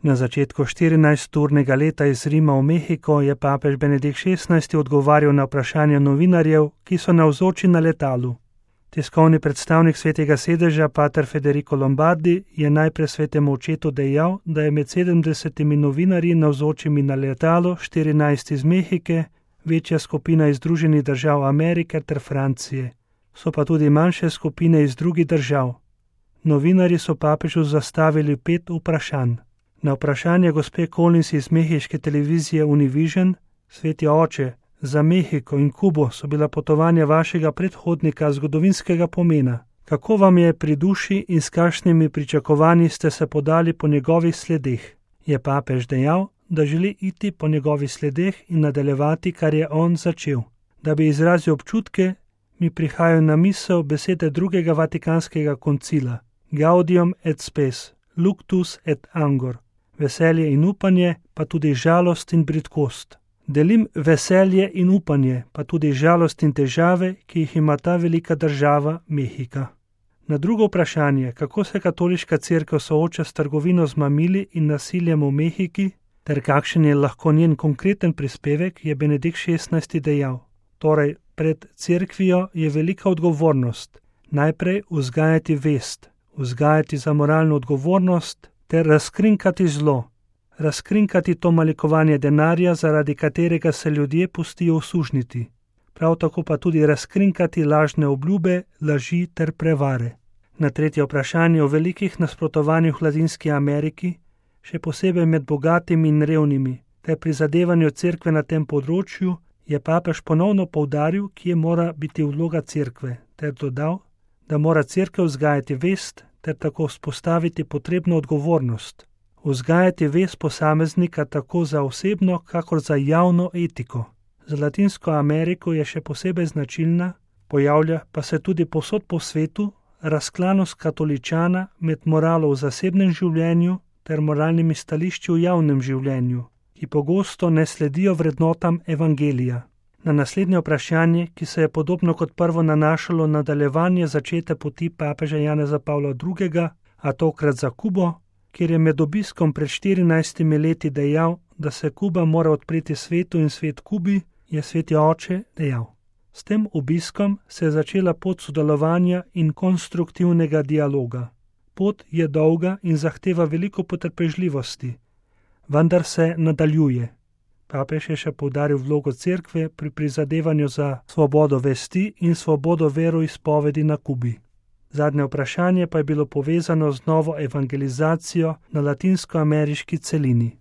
Na začetku 14-urnega leta iz Rima v Mehiko je papež Benedikt XVI odgovarjal na vprašanja novinarjev, ki so navzoči na letalu. Tiskovni predstavnik Svetega sedeža, pater Federico Lombardi, je najprej Svetemu očetu dejal, da je med 70 novinarji navzočimi na letalu 14 iz Mehike, večja skupina iz Združenih držav Amerike ter Francije. So pa tudi manjše skupine iz drugih držav. Novinarji so papežu zastavili 5 vprašanj. Na vprašanje gospe Collins iz mehiške televizije Univision: Sveti oče, za Mehiko in Kubo so bila potovanja vašega predhodnika zgodovinskega pomena. Kako vam je pri duši in s kakšnimi pričakovanji ste se podali po njegovih sledeh? Je papež dejal, da želi iti po njegovih sledeh in nadaljevati, kar je on začel. Da bi izrazil občutke, mi prihajajo na misel besede drugega vatikanskega koncila: Gaudium et spes, luctus et angor. Veselje in upanje, pa tudi žalost in bridkost. Delim veselje in upanje, pa tudi žalost in težave, ki jih ima ta velika država Mehika. Na drugo vprašanje, kako se katoliška cerkev sooča s trgovino z mamili in nasiljem v Mehiki, ter kakšen je lahko njen konkreten prispevek, je Benedikt XVI dejal: Torej, pred cerkvijo je velika odgovornost. Najprej vzgajati vest, vzgajati za moralno odgovornost ter razkrinkati zlo. Razkrinkati to malikovanje denarja, zaradi katerega se ljudje pustijo usužniti. Prav tako pa tudi razkrinkati lažne obljube, laži ter prevare. Na tretje vprašanje o velikih nasprotovanjih v Latinski Ameriki, še posebej med bogatimi in revnimi, ter prizadevanju cerkve na tem področju, je papež ponovno poudaril, kje mora biti vloga cerkve, ter dodal, da mora cerkev vzgajati vest ter tako vzpostaviti potrebno odgovornost. Vzgajati vest posameznika tako za osebno, kakor za javno etiko. Za Latinsko Ameriko je še posebej značilna, pojavlja pa se tudi povsod po svetu, razklanost katoličana med moralo v zasebnem življenju ter moralnimi stališči v javnem življenju, ki pogosto ne sledijo vrednotam evangelija. Na naslednje vprašanje, ki se je podobno kot prvo nanašalo na nadaljevanje začete poti papeža Janeza Pavla II., a tokrat za Kubo, kjer je med obiskom pred 14 leti dejal, da se Kuba mora odpreti svetu in svet Kubi, je Sveti oče dejal: S tem obiskom se je začela pot sodelovanja in konstruktivnega dialoga. Pot je dolga in zahteva veliko potrpežljivosti, vendar se nadaljuje. Papež je še poudaril vlogo cerkve pri prizadevanju za svobodo vesti in svobodo veroizpovedi na Kubi. Zadnje vprašanje pa je bilo povezano z novo evangelizacijo na latinskoameriški celini.